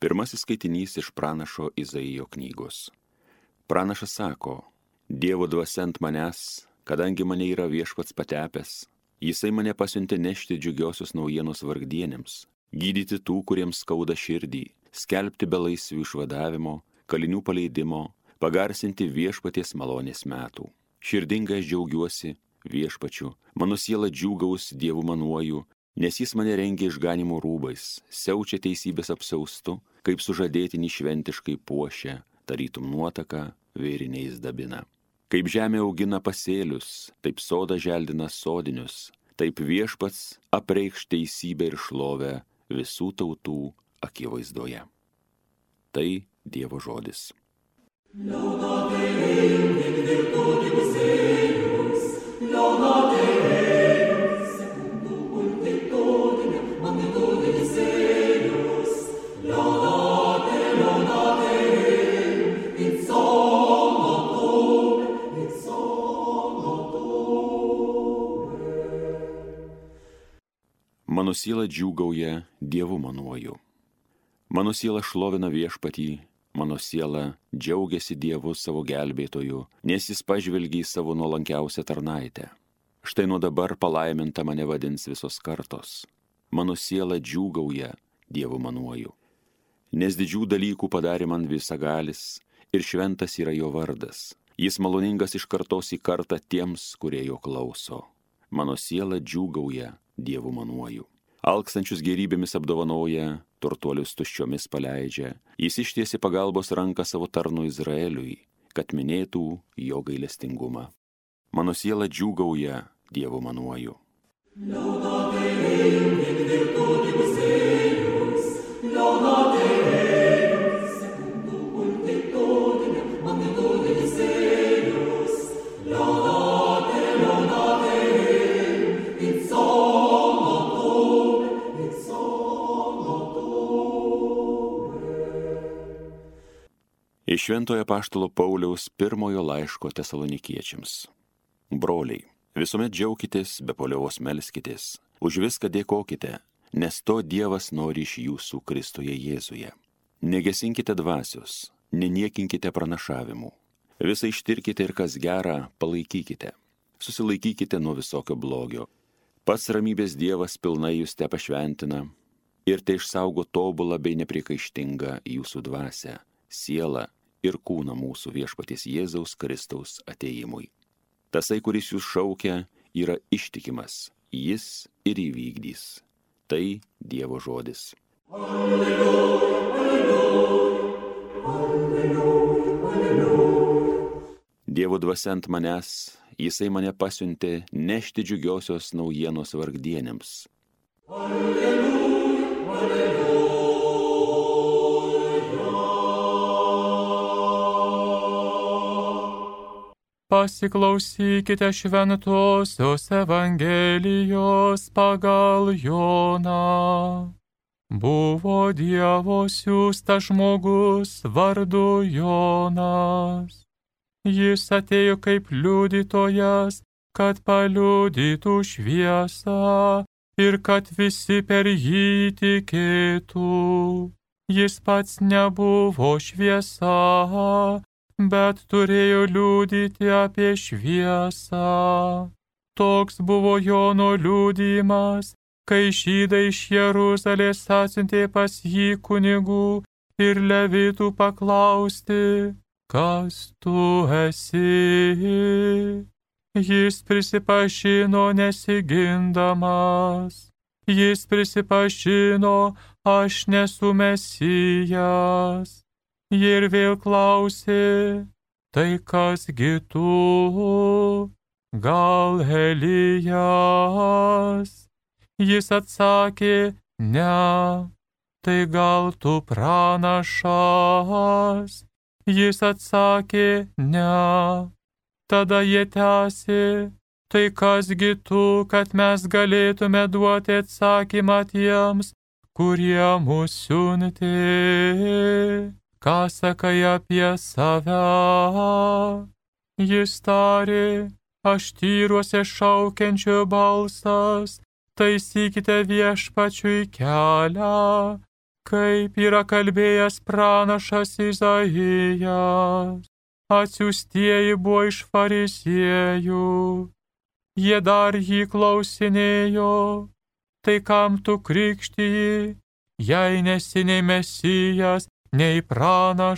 Pirmasis skaitinys iš pranašo Izaijo knygos. Pranašas sako, Dievo dvasia ant manęs, kadangi mane yra Viešpats patepęs, jisai mane pasiuntė nešti džiugiosios naujienos vargdienėms, gydyti tų, kuriems skauda širdį, skelbti belaisvių išvadavimo, kalinių paleidimo, pagarsinti Viešpaties malonės metų. Širdingai aš džiaugiuosi Viešpačiu, mano siela džiūgaus Dievu manuoju, nes jis mane rengia išganimo rūbais, siaučia teisybės apsiaustu, kaip sužadėtinį šventiškai puošia, tarytum nuotaka vėriniais dabina. Kaip žemė augina pasėlius, taip soda želdina sodinius, taip Viešpats apreikš teisybę ir šlovę visų tautų akivaizdoje. Tai Dievo žodis. Mano siela džiūgauja Dievu manuoju. Mano siela šlovina Viešpatį, mano siela džiaugiasi Dievu savo gelbėtoju, nes jis pažvelgia į savo nuolankiausią tarnaitę. Štai nuo dabar palaiminta mane vadins visos kartos. Mano siela džiūgauja Dievu manuoju. Nes didžių dalykų padarė man visagalis ir šventas yra jo vardas. Jis maloningas iš kartos į kartą tiems, kurie jo klauso. Mano siela džiūgauja Dievu manuoju. Alkstančius gerybėmis apdovanoja, turtuolius tuščiomis paleidžia. Jis ištiesi pagalbos ranką savo tarnui Izraeliui, kad minėtų jo gailestingumą. Mano siela džiūgauja Dievu manuoju. Iš Šventojo apaštalo Pauliaus pirmojo laiško Tesalonikiečiams. Broliai, visuomet džiaukitės, be paliovos melskitės, už viską dėkokite, nes to Dievas nori iš jūsų Kristuje Jėzuje. Negesinkite dvasios, neniekinkite pranašavimų. Visą ištirkite ir kas gera, palaikykite. Susilaikykite nuo visokio blogio. Pats ramybės Dievas pilnai jūs te pašventina ir te išsaugo tobulą bei nepriekaištingą jūsų dvasią, sielą ir kūną mūsų Viešpaties Jėzaus Kristaus atėjimui. Tasai, kuris jūs šaukia, yra ištikimas, jis ir įvykdys. Tai Dievo žodis. Alleluja, alleluja, alleluja, alleluja. Dievo dvasia ant manęs, jisai mane pasiuntė nešti džiugiosios naujienos vargdienėms. Alleluja, alleluja. Pasiklausykite šventosios Evangelijos pagal Joną. Buvo Dievo siųstas žmogus vardu Jonas. Jis atėjo kaip liudytojas, kad paliudytų šviesą ir kad visi per jį tikėtų. Jis pats nebuvo šviesa, bet turėjo liudyti apie šviesą. Toks buvo Jono liudijimas, kai žydai iš Jeruzalės atsiuntė pas jį kunigų ir levitų paklausti, kas tu esi. Jis prisipažino nesigindamas. Jis prisipažino, aš nesu Mesijas. Jie ir vėl klausė, tai kasgi tu, gal Elijas? Jis atsakė, ne, tai gal tu pranašas? Jis atsakė, ne. Tada jie tęsė, tai kasgi tu, kad mes galėtume duoti atsakymą tiems, kurie mus siuntė. Ką sakai apie save? Jis tarė, aš tyruose šaukiančio balsas, taisykite Viešpačiui kelią, kaip yra kalbėjęs pranašas Izaijas. Atsiųstieji buvo iš fariziejų. Jie dar jį klausinėjo, tai kam tu krikštiji, jei nesi nei Mesijas, nei pranašas?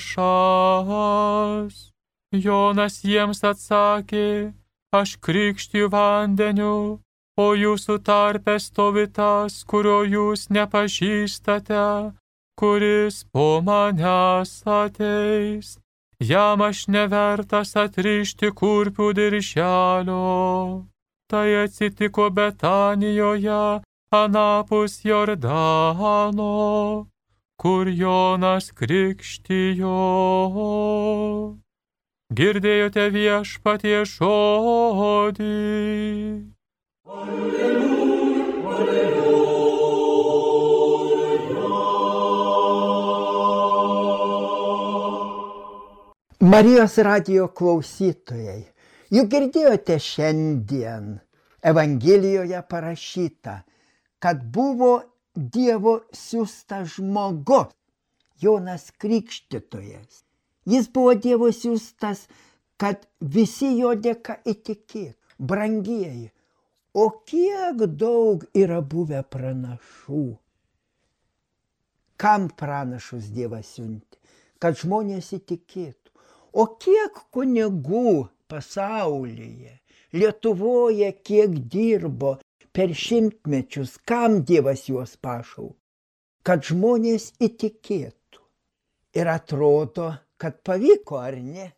Jonas jiems atsakė, aš krikštiju vandeniu, o jūsų tarpe stovi tas, kurio jūs nepažįstate, kuris po manęs ateis. Jam aš nevertas atrišti kurpių dirželio. Tai atsitiko Betanijoje, anapus Jordano, kur Jonas krikštijo. Girdėjote viešpaties žodį. Marijos radijo klausytojai, juk girdėjote šiandien Evangelijoje parašyta, kad buvo Dievo siųstas žmogus, Jonas Krikštytojas. Jis buvo Dievo siųstas, kad visi jo dėka įtikėtų. Brangieji, o kiek daug yra buvę pranašų? Kam pranašus Dievas siuntė? Kad žmonės įtikėtų. O kiek kunigų pasaulyje, Lietuvoje, kiek dirbo per šimtmečius, kam Dievas juos pašaukė? Kad žmonės įtikėtų. Ir atrodo, kad pavyko, ar ne?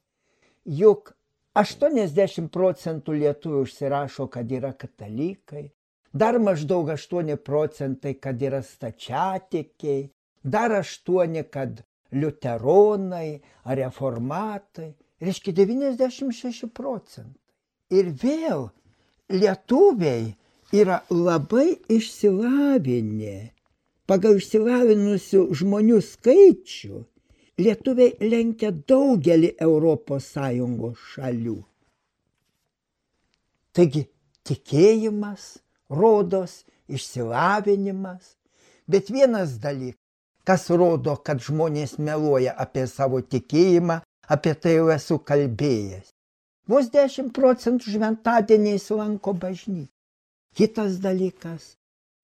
Juk 80% lietuvių užsirašo, kad yra katalikai, dar maždaug 8%, kad yra stačiatikiai, dar 8%, kad liuteronai ar reformatai, reiškia 96%. Ir vėl lietuviai yra labai išsilavinę. Pagal išsilavinusių žmonių skaičių lietuviai lenkia daugelį ES šalių. Taigi tikėjimas, rodos, išsilavinimas, bet vienas dalykas, kas rodo, kad žmonės meluoja apie savo tikėjimą, apie tai jau esu kalbėjęs. Vos 10% šventadieniais lanko bažnyčią. Kitas dalykas,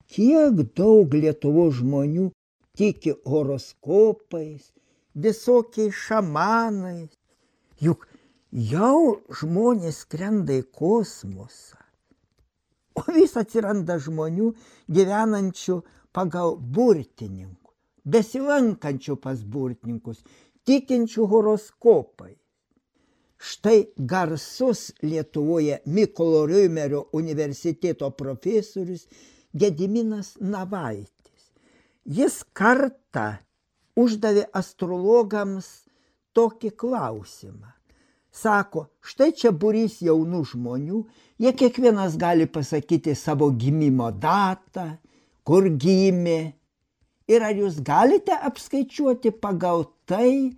kiek daug Lietuvos žmonių tiki horoskopais, visokiais šamanais. Juk jau žmonės skrenda į kosmosą. O vis atsiranda žmonių gyvenančių pagal burtininkų, besilankančių pas burtininkus, tikinčių horoskopai. Štai garsus Lietuvoje Mykolo Riomerio universiteto profesorius Gediminas Navaitis. Jis kartą uždavė astrologams tokį klausimą. Sako, štai čia būrys jaunų žmonių, jie kiekvienas gali pasakyti savo gimimo datą, kur gimė. Ir ar jūs galite apskaičiuoti pagal tai,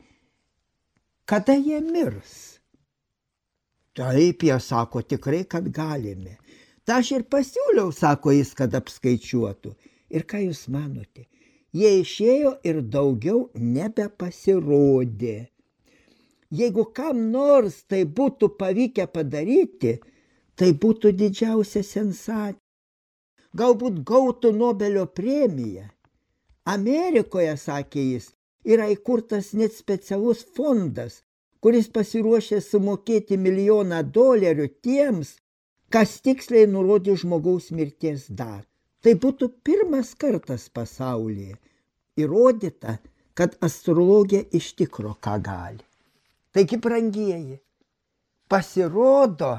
kada jie mirs? Taip, jie sako, tikrai, kad galime. Ta aš ir pasiūliau, sako jis, kad apskaičiuotų. Ir ką jūs manote? Jie išėjo ir daugiau nebepasirodė. Jeigu kam nors tai būtų pavykę padaryti, tai būtų didžiausia sensacija. Galbūt gautų Nobelio premiją. Amerikoje, sakė jis, yra įkurtas net specialus fondas, kuris pasiruošė sumokėti $1 milijoną tiems, kas tiksliai nurodė žmogaus mirties datą. Tai būtų pirmas kartas pasaulyje įrodyta, kad astrologija iš tikro ką gali. Taigi, brangieji, pasirodo,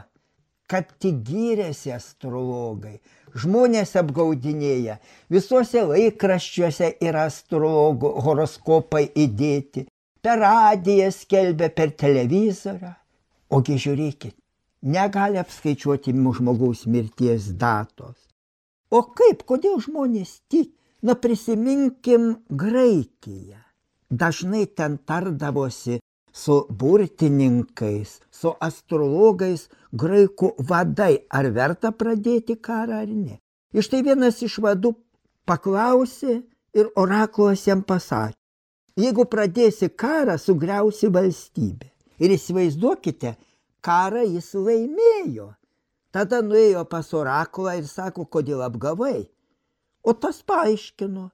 kad tik gyrėsi astrologai. Žmonės apgaudinėja, visuose laikraščiuose yra astrologų horoskopai įdėti, per radiją skelbia, per televizorių. Ogi žiūrėkit, negali apskaičiuoti žmogaus mirties datos. O kaip, kodėl žmonės tiki? Na prisiminkim Graikiją. Dažnai ten tardavosi su burtininkais, su astrologais graikų vadai, ar verta pradėti karą ar ne. Ir štai vienas iš vadų paklausė Ir orakulas jam pasakė, jeigu pradėsi karą, sugriausi valstybę. Ir įsivaizduokite, karą jis laimėjo. Tada nuėjo pas orakulą ir sako, kodėl apgavai. O tas paaiškino,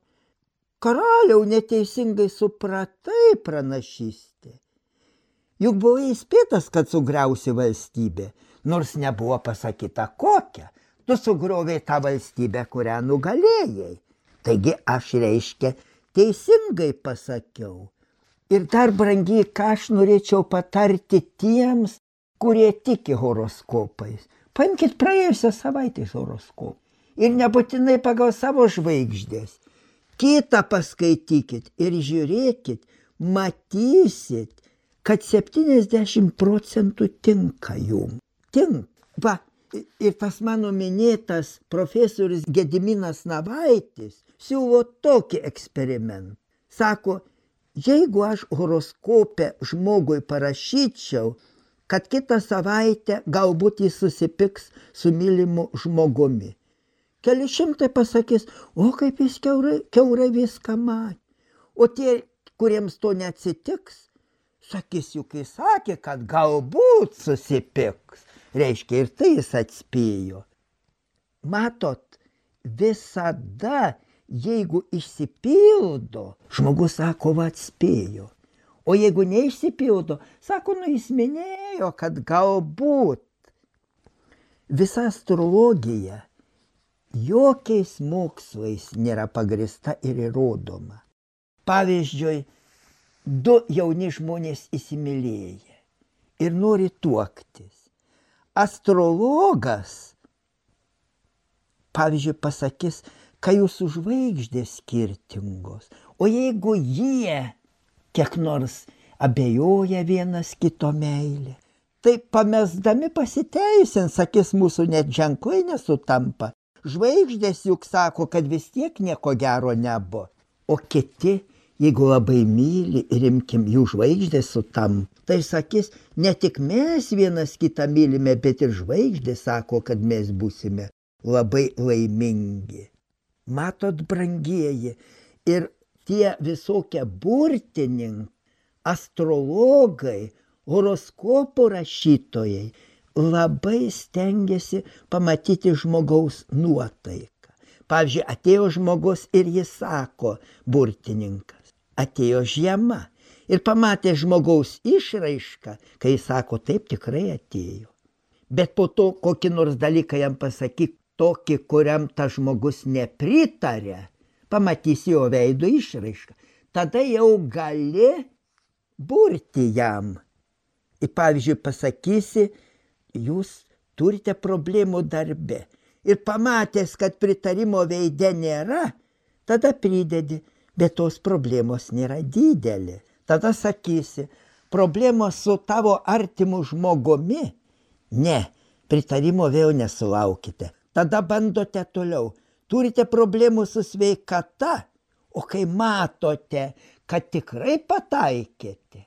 karaliau, neteisingai supratai pranašystę. Juk buvo įspėtas, kad sugriausi valstybę, nors nebuvo pasakyta kokią. Tu sugriovei tą valstybę, kurią nugalėjai. Taigi aš, reiškia, teisingai pasakiau. Ir dar, brangiai, ką aš norėčiau patarti tiems, kurie tiki horoskopais. Paimkit praėjusią savaitės horoskopą. Ir nebūtinai pagal savo žvaigždės. Kitą paskaitykit ir žiūrėkit, matysit, kad 70% tinka jum. Va, ir tas mano minėtas profesorius Gediminas Navaitis siūlo tokį eksperimentą. Sako, jeigu aš horoskope žmogui parašyčiau, kad kitą savaitę galbūt jis susipyks su mylimu žmogumi. Keli šimtai pasakys, o kaip jis kiaurai viską matė. O tie, kuriems to neatsitiks, sakys, juk jis sakė, kad galbūt susipyks. Reiškia, ir tai jis atspėjo. Matot, visada, jeigu išsipildo, žmogus sako, va atspėjo. O jeigu neišsipildo, sako, jis minėjo, kad galbūt. Visa astrologija jokiais mokslais nėra pagrįsta ir įrodoma. Pavyzdžiui, 2 jauni žmonės įsimylėję ir nori tuoktis. Astrologas, pavyzdžiui, pasakys, kad jūsų žvaigždės skirtingos. O jeigu jie kiek nors abejoja vienas kito meilė, tai pamesdami pasiteisins, sakys, mūsų net ženklai nesutampa. Žvaigždės juk sako, kad vis tiek nieko gero nebuvo. O kiti, jeigu labai myli ir imkim jų žvaigždės sutampa, tai sakys, ne tik mes vienas kitą mylime, bet ir žvaigždės sako, kad mes būsime labai laimingi. Matot, brangieji, ir tie visokie burtininkai, astrologai, horoskopų rašytojai labai stengiasi pamatyti žmogaus nuotaiką. Pavyzdžiui, atėjo žmogus ir jis sako, burtininkas, atėjo žiema ir pamatė žmogaus išraišką, kai jis sako, taip tikrai atėjo. Bet po to kokį nors dalyką jam pasakyk, tokį, kuriam tas žmogus nepritarė, pamatysi jo veido išraišką. Tada jau gali burti jam. Ir pavyzdžiui, pasakysi, jūs turite problemų darbe. Ir pamatęs, kad pritarimo veide nėra, tada pridedi, bet tos problemos nėra didelė. Tada sakysi, problemos su tavo artimu žmogumi? Ne, pritarimo vėl nesulaukite. Tada bandote toliau. Turite problemų su sveikata, o kai matote, kad tikrai pataikėte,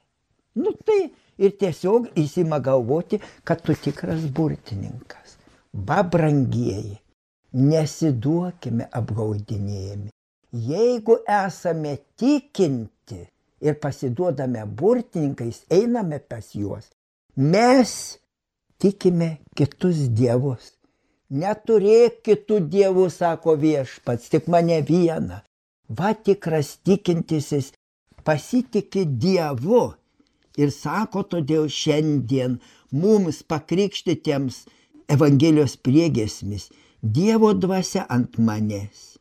tai ir tiesiog įsima galvoti, kad tu tikras burtininkas. Va, brangieji, nesiduokime apgaudinėjami. Jeigu esame tikinti ir pasiduodame burtininkais, einame pas juos, mes tikime kitus dievus. Neturėk kitų dievų, sako viešpats, tik mane vieną. Va, tikras tikintisis pasitiki Dievu. Ir sako, todėl šiandien mums pakrikštytiems Evangelijos priegiesmis, Dievo dvasia ant manęs.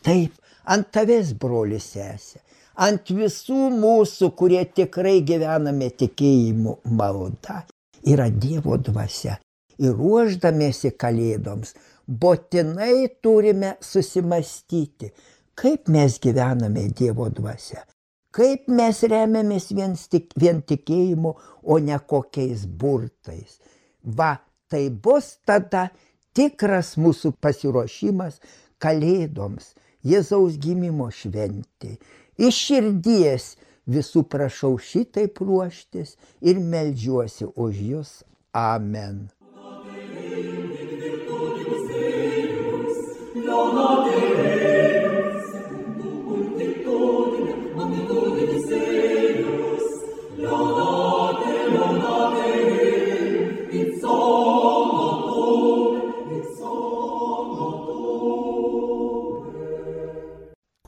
Taip, ant tavęs, brolis, sesė, ant visų mūsų, kurie tikrai gyvename tikėjimu malda, yra Dievo dvasia. Ir ruošdamiesi kalėdoms, būtinai turime susimastyti, kaip mes gyvename Dievo dvasia, kaip mes remiamės vien tikėjimu, o ne kokiais burtais. Va, tai bus tada tikras mūsų pasiruošimas kalėdoms, Jėzaus gimimo šventei. Iš širdies visų prašau šitaip ruoštis ir meldžiuosi už jus. Amen. Dona Deus, secundum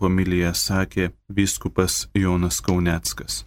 Homiliją sakė vyskupas Jonas Kauneckas.